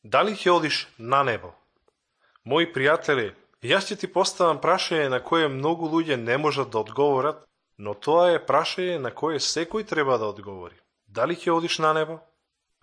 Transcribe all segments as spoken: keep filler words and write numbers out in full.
Дали ќе одиш на небо? Мои пријатели, јас ќе ти поставам прашање на кое многу луѓе не можат да одговорат, но тоа е прашање на кое секој треба да одговори. Дали ќе одиш на небо?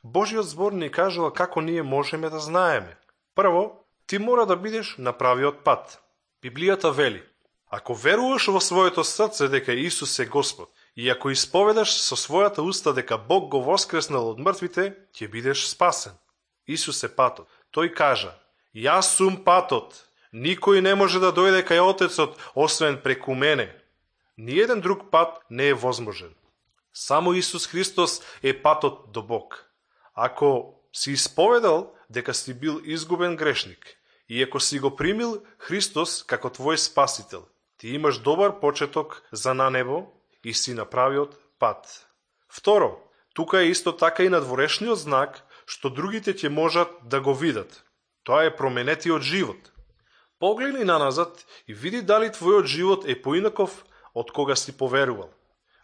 Божиот збор ни кажува како ние можеме да знаеме. Прво, ти мора да бидеш на правиот пат. Библијата вели: ако веруваш во своето срце дека Исус е Господ и ако исповедаш со својата уста дека Бог го воскреснал од мртвите, ќе бидеш спасен. Исус е патот. Тој кажа: јас сум патот. Никој не може да дојде кај Отецот освен преку мене. Ниеден друг пат не е возможен. Само Исус Христос е патот до Бог. Ако си исповедал дека си бил изгубен грешник и ако си го примил Христос како твој спасител, ти имаш добар почеток за на небо и си на правиот пат. Второ, тука е исто така и надворешниот знак што другите ќе можат да го видат. Тоа е променетиот живот. Погледни наназад и види дали твојот живот е поинаков од кога си поверувал.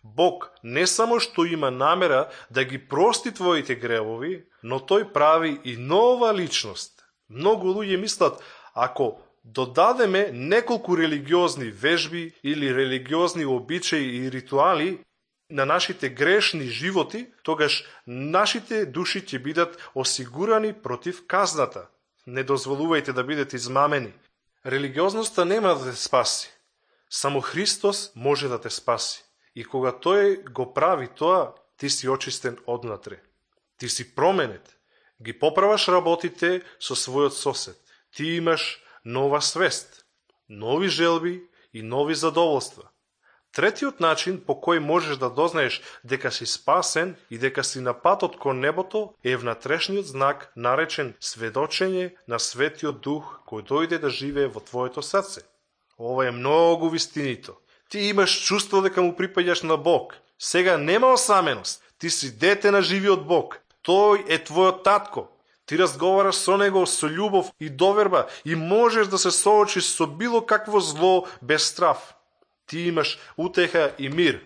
Бог не само што има намера да ги прости твоите гревови, но тој прави и нова личност. Многу луѓе мислат, ако додадеме неколку религиозни вежби или религиозни обичаи и ритуали на нашите грешни животи, тогаш нашите души ќе бидат осигурани против казната. Не дозволувајте да бидете измамени. Религиозноста нема да те спаси. Само Христос може да те спаси. И кога Тој го прави тоа, ти си очистен однатре. Ти си променет. Ги поправаш работите со својот сосед. Ти имаш нова свест, нови желби и нови задоволства. Третиот начин по кој можеш да дознаеш дека си спасен и дека си на патот кон небото е внатрешниот знак наречен сведочење на Светиот Дух кој дојде да живее во твоето срце. Ова е многу вистинито. Ти имаш чувство дека му припаѓаш на Бог. Сега нема осаменост. Ти си дете на живиот Бог. Тој е твојот татко. Ти разговараш со него со љубов и доверба и можеш да се соочиш со било какво зло без страв. Ти имаш утеха и мир.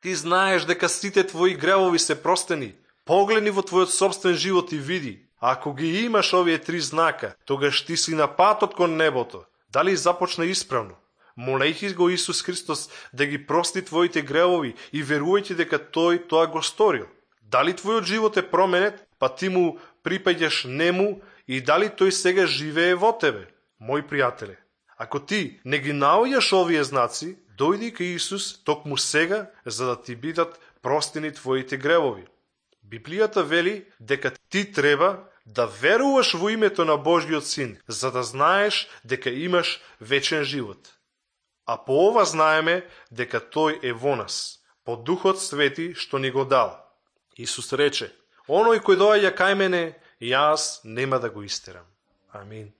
Ти знаеш дека сите твои гревови се простени. Погледни во твојот собствен живот и види. Ако ги имаш овие три знака, тогаш ти си на патот кон небото. Дали започна исправно? Молејќи го Исус Христос да ги прости твоите гревови и верувајќи дека Тој тоа го сторил. Дали твојот живот е променет, па ти му припаѓаш нему и дали тој сега живее во тебе? Мои пријатели, ако ти не ги наоѓаш овие знаци, дојди кај Исус токму сега за да ти бидат простени твоите гревови. Библијата вели дека ти треба да веруваш во името на Божјиот Син, за да знаеш дека имаш вечен живот. А по ова знаеме дека Тој е во нас, по Духот Свети што ни го дал. Исус рече: оној кој доаѓа кај мене, јас нема да го истерам. Амин.